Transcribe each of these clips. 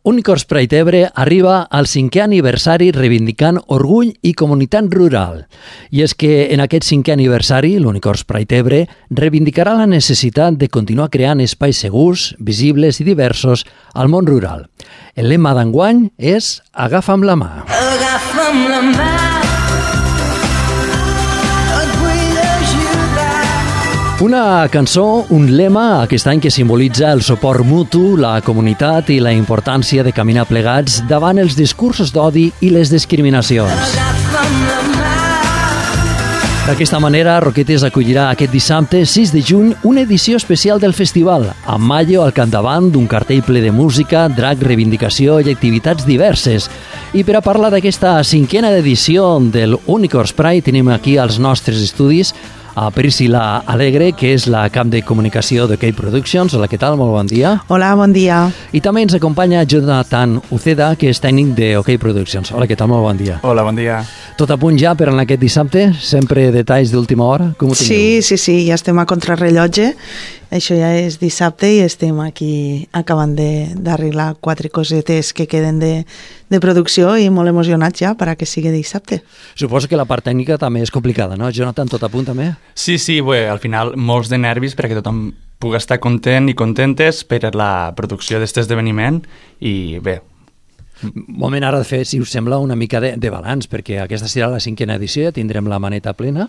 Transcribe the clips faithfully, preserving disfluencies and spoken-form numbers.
Unicorns Pride Ebre arriba al cinquè aniversari reivindicant orgull i comunitat rural. I és que en aquest cinquè aniversari, l'Unicorns Pride Ebre reivindicarà la necessitat de continuar creant espais segurs, visibles i diversos al món rural. El lema d'enguany és Agafa'm la mà. Agafa'm la mà. Una cançó, un lema aquest any que simbolitza el suport mutu, la comunitat i la importància de caminar plegats davant els discursos d'odi i les discriminacions. D'aquesta manera, Roquetes acollirà aquest dissabte, sis de juny, una edició especial del festival, amb Mayo al capdavant d'un cartell ple de música, drac, reivindicació i activitats diverses. I per a parlar d'aquesta cinquena edició del Unicorns Pride tenim aquí als nostres estudis a Priscila Alegre, que és la cap de comunicació d'Ok Productions. Hola, què tal? Molt bon dia. Hola, bon dia. I també ens acompanya Jonathan Uceda, que és tècnic d'Ok Productions. Hola, què tal? Molt bon dia. Hola, bon dia. Tot a punt ja per en aquest dissabte? Sempre detalls d'última hora? Com ho teniu? Sí, sí, sí, ja estem a contrarrellotge. Això ja és dissabte i estem aquí acabant d'arreglar quatre cosetes que queden de, de producció i molt emocionats ja per a que sigui dissabte. Suposo que la part tècnica també és complicada, no? Jonathan, tot a punt també? Sí, sí, bé, al final molts de nervis perquè tothom pugui estar content i contentes per la producció d'aquest esdeveniment i bé. Moment ara de fer, si us sembla, una mica de, de balanç, perquè aquesta serà la cinquena edició, ja tindrem la maneta plena,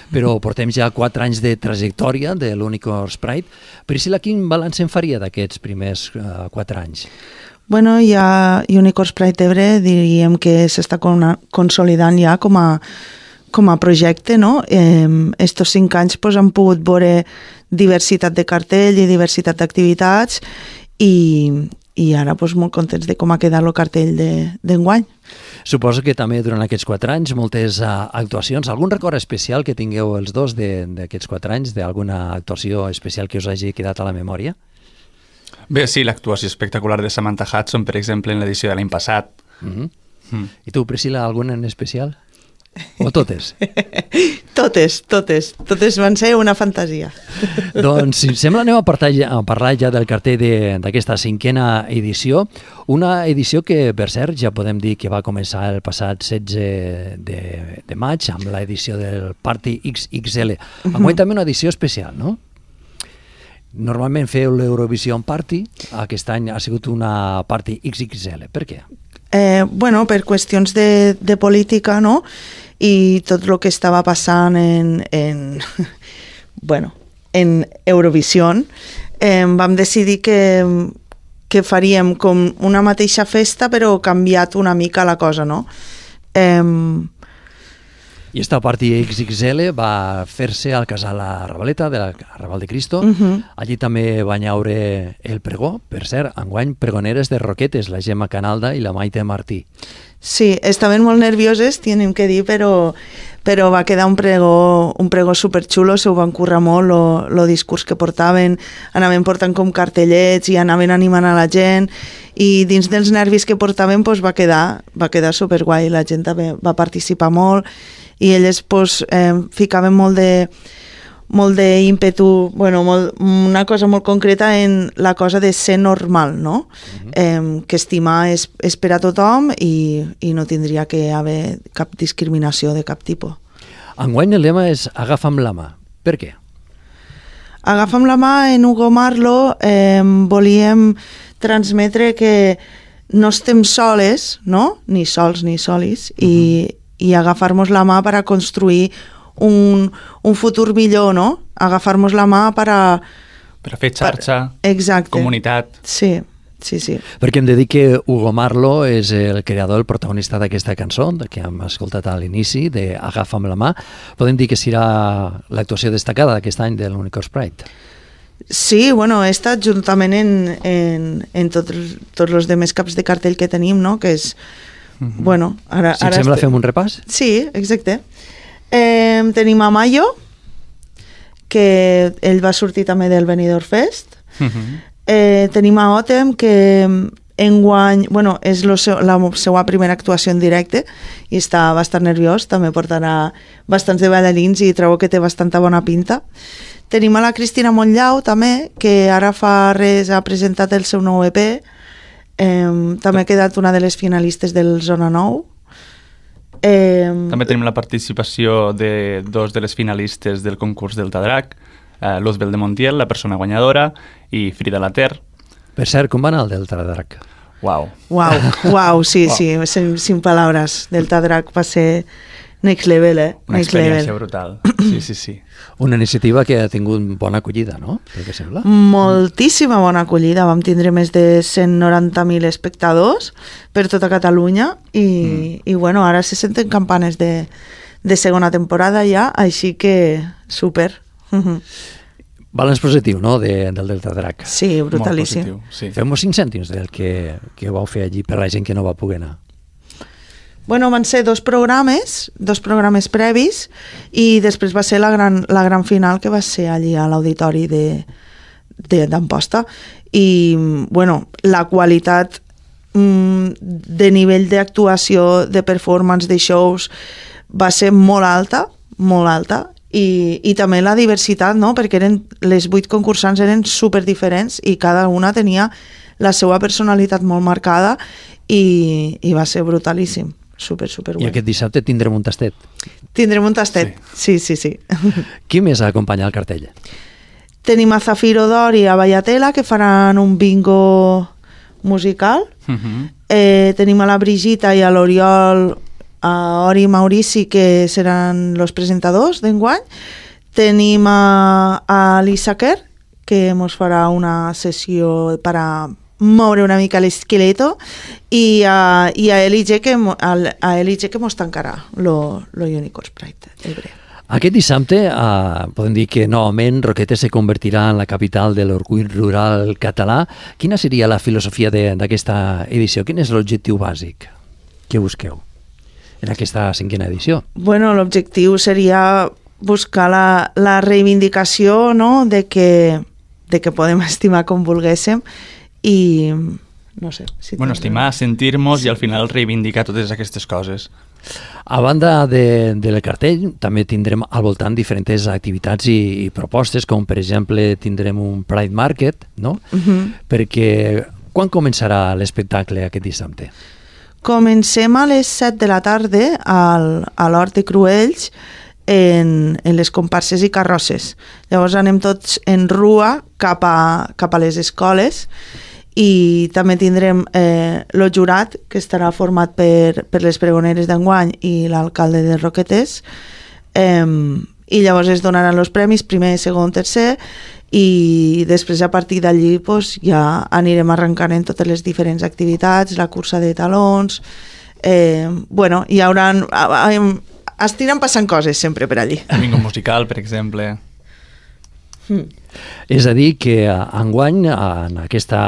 però portem ja quatre anys de trajectòria de l'Unicorns Pride. Priscila, quin balanç en faria d'aquests primers uh, quatre anys? Bueno, ja Unicorns Pride Ebre diríem que s'està consolidant ja com a, com a projecte, no? Eh, estos cinc anys pues, han pogut veure diversitat de cartell i diversitat d'activitats i i ara doncs, molt contents de com ha quedat el cartell d'enguany. De, Suposo que també durant aquests quatre anys moltes uh, actuacions. Algun record especial que tingueu els dos d'aquests quatre anys, d'alguna actuació especial que us hagi quedat a la memòria? Bé, sí, l'actuació espectacular de Samantha Hudson, per exemple, en l'edició de l'any passat. Mm-hmm. mm. I tu, Priscila, alguna en especial? O totes? totes, totes. Totes van ser una fantasia. Doncs, si sembla, anem a parlar, a parlar ja del cartell d'aquesta cinquena edició. Una edició que, per cert, ja podem dir que va començar el passat setze de, de maig amb l'edició del Party X X L. Enguany uh-huh. també una edició especial, no? Normalment feu l'Eurovision Party, aquest any ha sigut una Party X X L. Per què? Eh, bueno, per qüestions de, de política, no? I tot el que estava passant en, en, bueno, en Eurovision, eh, vam decidir que, que faríem com una mateixa festa però canviat una mica la cosa, no? Eh, I esta Party X X L va fer-se al casal La Ravaleta, de la Raval de Cristo. uh-huh. Allí també va haure el pregó, per cert, enguany pregoneres de Roquetes, la Gemma Canalda i la Maite Martí. Sí, estaven molt nervioses, tenim que dir, però, però va quedar un pregó, un pregó superxulo, se ho van currar molt, el discurs que portaven, anaven portant com cartellets i anaven animant a la gent, i dins dels nervis que portaven pues, va quedar, va quedar superguai, la gent també va participar molt, i elles pues, eh, ficaven molt de molt d'ímpetu, bueno, molt, una cosa molt concreta en la cosa de ser normal, no? Uh-huh. Eh, que estimar és, és per a tothom i, i no tindria que haver cap discriminació de cap tipus. Enguany el lema és Agafa'm la mà. Per què? Agafa'm la mà, en Hugo Marlo eh, volíem transmetre que no estem soles, no? Ni sols ni solis, uh-huh. i, i agafar-nos la mà per a construir Un, un futur millor, no? Agafar-nos la mà per a... Per a fer xarxa, per... comunitat. Sí, sí, sí. Perquè hem de dir que Hugo Marlo és el creador, el protagonista d'aquesta cançó, que hem escoltat a l'inici, de Agafa'm la mà. Podem dir que serà l'actuació destacada d'aquest any de l'Unicorns Pride. Sí, bueno, he estat juntament en, en, en tots, tots els demés caps de cartell que tenim, no? Que és... Mm-hmm. Bueno, ara... Si et ara sembla, estem... fem un repàs? Sí, exacte. Eh, tenim a Mayo, que ell va sortir també del Benidorm Fest. Uh-huh. eh, tenim a Otem, que enguany, bueno, és lo seu, la seva primera actuació en directe i està bastant nerviós, també portarà bastants de ballarins i trobo que té bastanta bona pinta. Tenim a la Cristina Montllau també, que ara fa res ha presentat el seu nou E P, Eh, també ha quedat una de les finalistes del Zona nou. Eh, També tenim la participació de dos de les finalistes del concurs Delta Drac, eh, Luzbel de Montiel, la persona guanyadora, i Frida Later. Per cert, com va anar el Delta Drac? Uau. Uau, uau, sí, Uau. sí, sin, sin palabras. Delta Drac va ser next level, eh? Una Next experiència level. brutal. Sí, sí, sí. Una iniciativa que ha tingut bona acollida, no? Pel que sembla. Moltíssima bona acollida. Vam tindre més de cent noranta mil espectadors per tota Catalunya i, mm. i bueno, ara se senten campanes de, de segona temporada ja, així que super. Balanç positiu, no?, de, del Delta Drac. Sí, brutalíssim. Molt positiu, sí. Fem-nos cinc cèntims del que, que vau fer allí per la gent que no va poder anar. Bueno, van ser dos programes, dos programes previs, i després va ser la gran, la gran final, que va ser allí a l'auditori de, de, d'Amposta. I, bueno, la qualitat mm, de nivell d'actuació, de performance, de shows, va ser molt alta, molt alta, i, i també la diversitat, no?, perquè eren, les vuit concursants eren super diferents i cada una tenia la seva personalitat molt marcada i, i va ser brutalíssim. Super, super I guai. aquest dissabte tindrem un tastet. Tindrem un tastet, sí, sí, sí. sí. Qui més ha acompanyat el cartell? Tenim a Zafiro d'Or i a Vallatela, que faran un bingo musical. Uh-huh. Eh, tenim a la Brigita i a l'Oriol, a Ori i Maurici, que seran els presentadors d'enguany. Tenim a, a l'Issaquer, que ens farà una sessió per a moure una mica l'esqueleto, i a, i a L I G que, a, a L I G que mos tancarà lo, lo Unicorn Pride Ebre. Aquest dissabte eh, podem dir que novament Roquetes se convertirà en la capital de l'orgull rural català. Quina seria la filosofia de, d'aquesta edició? Quin és l'objectiu bàsic que busqueu en aquesta cinquena edició? Bueno, l'objectiu seria buscar la, la reivindicació, no?, de que, de que podem estimar com volguéssim i no sé si bueno, estimar, sentir-nos sí. I al final reivindicar totes aquestes coses. A banda de, del cartell també tindrem al voltant diferents activitats i, i propostes, com per exemple tindrem un Pride Market, no? Uh-huh. Perquè quan començarà l'espectacle aquest dissabte? Comencem a les set de la tarda al, a l'Hort de Cruells en, en les comparses i carrosses. Llavors anem tots en rua cap a, cap a les escoles i també tindrem eh, el jurat, que estarà format per, per les pregoneres d'enguany i l'alcalde de Roquetes, eh, i llavors es donaran els premis, primer, segon, tercer, i després a partir d'allí pues, ja anirem arrencant en totes les diferents activitats, la cursa de talons, eh, bueno, hi haurà... Estiran passant coses sempre per allí. Bingo musical, per exemple. Mm. És a dir, que enguany en aquesta,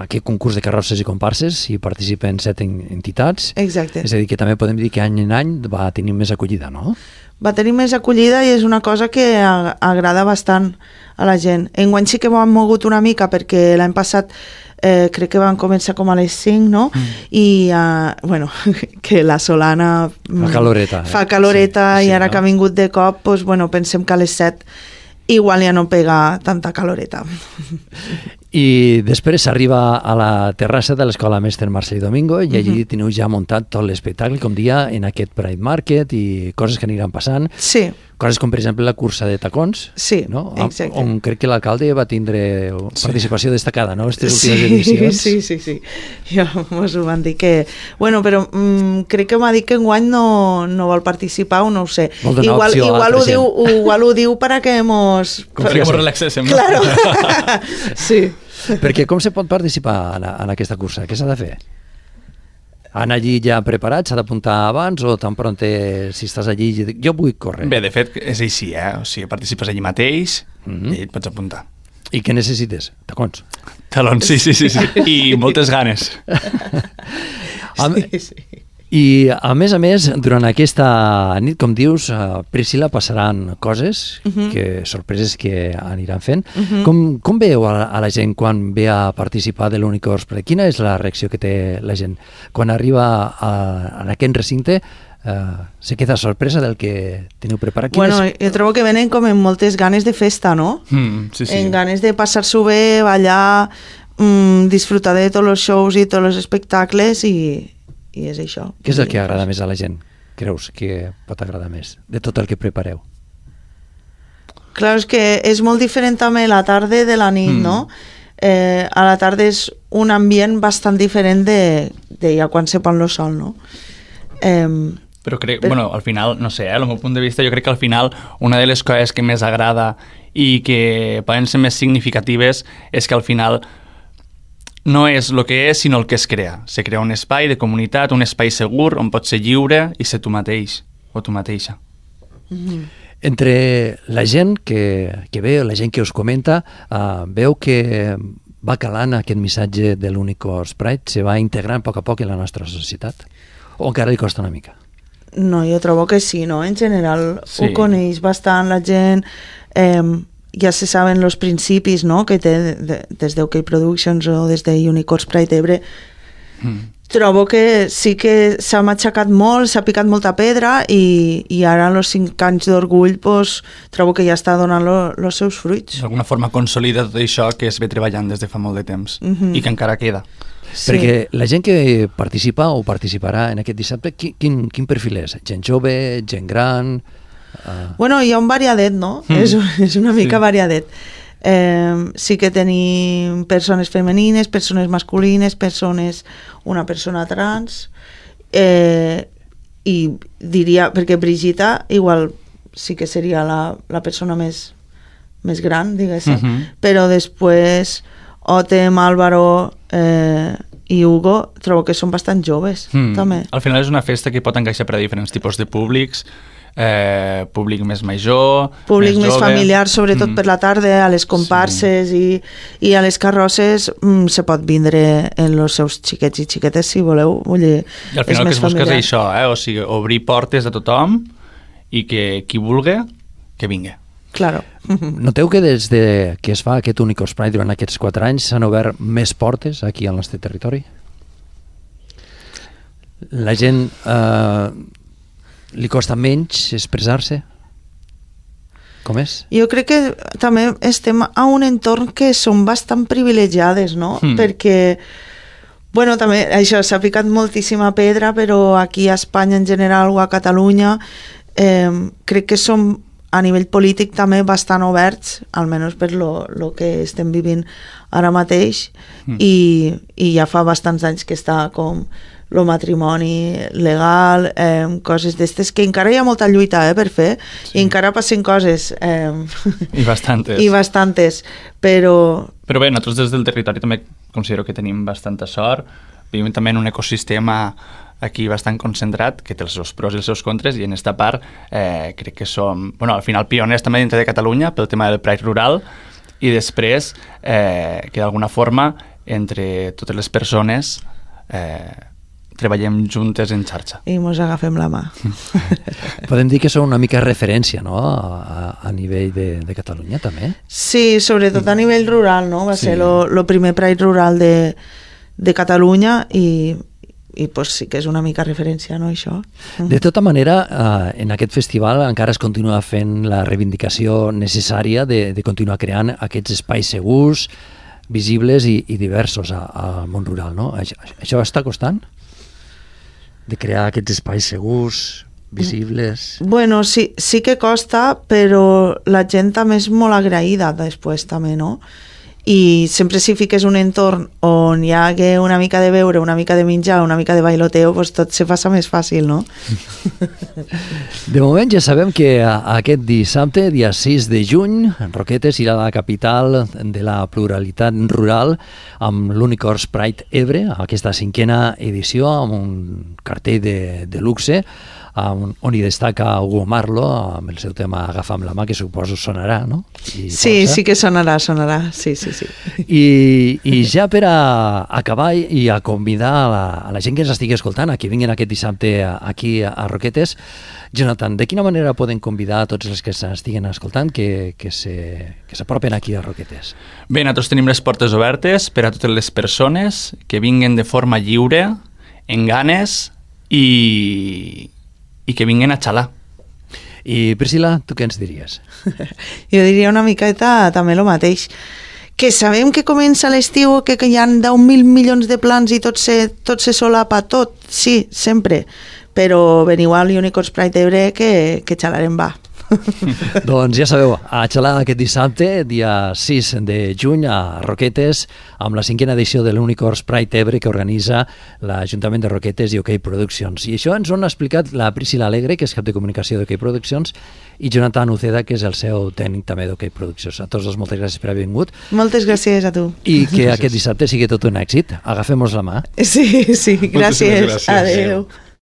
aquest concurs de carrosses i comparses hi participen set entitats. Exacte. És a dir, que també podem dir que any en any va tenir més acollida, no? Va tenir més acollida i és una cosa que agrada bastant a la gent. Enguany sí que ho han mogut una mica perquè l'any passat eh, crec que van començar com a les cinc, no? Mm. I, uh, bueno, que la Solana... Fa caloreta. Eh? Fa caloreta sí, i sí, ara no? que ha vingut de cop, doncs, bueno, pensem que a les set igual ja no pega tanta caloreta. I després s'arriba a la terrassa de l'Escola Mestre Marcel Domingo i allí uh-huh. teniu ja muntat tot l'espectacle, com dia, en aquest Pride Market i coses que aniran passant. Sí. Coses com, per exemple, la cursa de tacons. Sí, no? exacte. On crec que l'alcalde va tindre participació sí. destacada, no?, aquestes sí, últimes edicions. Sí, sí, sí. Jo mos ho van dir que... Bueno, però mm, crec que m'ha dit que enguany no, no vol participar o no ho sé. Vol donar igual, opció a igual, altra ho diu, igual ho diu per a que mos... Com que mos relaxéssim. Claro. Sí. Perquè com se pot participar en, en aquesta cursa? Què s'ha de fer? Anar allí ja preparat, s'ha d'apuntar abans o tan pront si estàs allí jo vull córrer? Bé, de fet, és així, eh? O sigui, participes allí mateix mm-hmm. i et pots apuntar. I què necessites? Tacons? Talons, sí, sí, sí, sí. I moltes ganes. Sí, sí. I, a més a més, durant aquesta nit, com dius, uh, Priscila, passaran coses, uh-huh. que sorpreses que aniran fent. Uh-huh. Com, com veieu a, a la gent quan ve a participar de l'Unicorn Pride? Quina és la reacció que té la gent? Quan arriba a, a aquest recinte, uh, se queda sorpresa del que teniu preparat? Quines... Bueno, jo trobo que venen com amb moltes ganes de festa, no? Mm, sí, sí. En ganes de passar-s'ho bé, ballar... mm, disfrutar de tots els shows i tots els espectacles i, i és això. Què és el que agrada més a la gent? Creus que pot agradar més de tot el que prepareu? Clar, és que és molt diferent també la tarda de la nit, mm. no? Eh, a la tarda és un ambient bastant diferent de, de ja quan se pon el sol, no? Eh, Però crec, però... bueno, al final, no sé, eh, al meu punt de vista, jo crec que al final una de les coses que més agrada i que poden ser més significatives és que al final no és el que és, sinó el que es crea. Se crea un espai de comunitat, un espai segur on pots ser lliure i ser tu mateix o tu mateixa. mm-hmm. Entre la gent que, que ve, la gent que us comenta, uh, veu que va calant aquest missatge de l'Unicorns Pride, se va integrant a poc a poc en la nostra societat? O encara li costa una mica? No, jo trobo que sí, no? En general sí. Ho coneix bastant la gent, eh, ja se saben els principis, no?, que té de, des d'O K Productions o des de Unicorns Pride Ebre. Mm. Trobo que sí que s'ha matxacat molt, s'ha picat molta pedra i, i ara en els cinc anys d'orgull pues, trobo que ja està donant els seus fruits. D'alguna forma consolida tot això que es ve treballant des de fa molt de temps mm-hmm. i que encara queda. Sí. Perquè la gent que participa o participarà en aquest dissabte, quin, quin, quin perfil és? Gent jove, gent gran? Uh... Bueno, hi ha un variadet, no? Mm. És, és una mica sí. variadet. Eh, sí que tenim persones femenines, persones masculines, persones, una persona trans, eh, i diria, perquè Brigitta igual sí que seria la, la persona més, més gran, diguéssim, uh-huh. però després Otem, Álvaro eh, i Hugo trobo que són bastant joves, mm. també. Al final és una festa que pot encaixar per a diferents tipus de públics, Eh, públic més major, públic més, més jove. familiar, sobretot mm. per la tarda, a les comparses sí. i, i a les carrosses mm, se pot vindre en els seus xiquets i xiquetes si voleu. Vull dir, I al final el que es busca és això, eh? O sigui, obrir portes a tothom i que qui vulgui, que vingui. Claro. Noteu que des de que es fa aquest Unicorns Pride durant aquests quatre anys s'han obert més portes aquí al nostre territori? La gent... Eh, li costa menys expressar-se? Com és? Jo crec que també estem a un entorn que som bastant privilegiades, no? Mm. Perquè, bueno, també això s'ha picat moltíssima pedra, però aquí a Espanya en general o a Catalunya eh, crec que som a nivell polític també bastant oberts, almenys per lo, lo que estem vivint ara mateix, mm. i, i ja fa bastants anys que està com el matrimoni legal, eh, coses d'estes que encara hi ha molta lluita eh, per fer, sí. i encara passen coses eh, i bastantes i bastantes, però però bé, nosaltres des del territori també considero que tenim bastanta sort, vivim també en un ecosistema aquí bastant concentrat, que té els seus pros i els seus contres, i en esta part eh, crec que som, bueno, al final pioners també dintre de Catalunya pel tema del Pride rural, i després eh, que d'alguna forma entre totes les persones eh, treballem juntes en xarxa. I mos agafem la mà. Podem dir que són una mica referència, no?, a, a nivell de, de Catalunya, també? Sí, sobretot a nivell rural, no? Va sí. ser el primer Pride rural de, de Catalunya i, i pues, sí que és una mica referència, no, això? De tota manera, eh, en aquest festival encara es continua fent la reivindicació necessària de, de continuar creant aquests espais segurs, visibles i, i diversos al món rural, no? Això, això està costant? De crear aquests espais segurs, visibles... Bueno, sí, sí que costa, però la gent també és molt agraïda després també, no? I sempre si fiques un entorn on hi hagi una mica de beure, una mica de menjar, una mica de bailoteo, pues tot se passa més fàcil, no? De moment ja sabem que aquest dissabte, dia sis de juny, Roquetes irà a la capital de la pluralitat rural amb l'Unicorns Pride Ebre, aquesta cinquena edició, amb un cartell de, de luxe, on, on hi destaca Hugo Marlo amb el seu tema Agafa'm la mà, que suposo sonarà, no? I sí, força. Sí que sonarà, sonarà, sí, sí, sí. I, i ja per a acabar i a convidar a la, a la gent que ens estigui escoltant, a que vinguin aquest dissabte aquí a Roquetes, Jonathan, de quina manera poden convidar a tots els que s'estiguen escoltant que, que, se, que s'apropen aquí a Roquetes? Bé, nosaltres tenim les portes obertes per a totes les persones que vinguen de forma lliure, en ganes i... i que vinguin a xalar. I Priscila, tu què ens diries? Jo diria una miqueta també el mateix, que sabem que comença l'estiu, que, que hi ha deu mil milions de plans i tot se, tot se solapa, tot, sí, sempre, però veniu a l'Unicorns Pride Ebre que, que xalarem va. Doncs ja sabeu, a xalar aquest dissabte, dia sis de juny, a Roquetes, amb la cinquena edició de l'Unicorns Pride Ebre que organitza l'Ajuntament de Roquetes i OK Productions. I això ens ho han explicat la Priscila Alegre, que és cap de comunicació d'OK Productions, i Jonathan Uceda, que és el seu tècnic també d'OK Productions. A tots dos, moltes gràcies per haver vingut. Moltes gràcies a tu. I que aquest dissabte sigui tot un èxit. Agafem-nos la mà. Sí, sí, gràcies. gràcies. Adéu.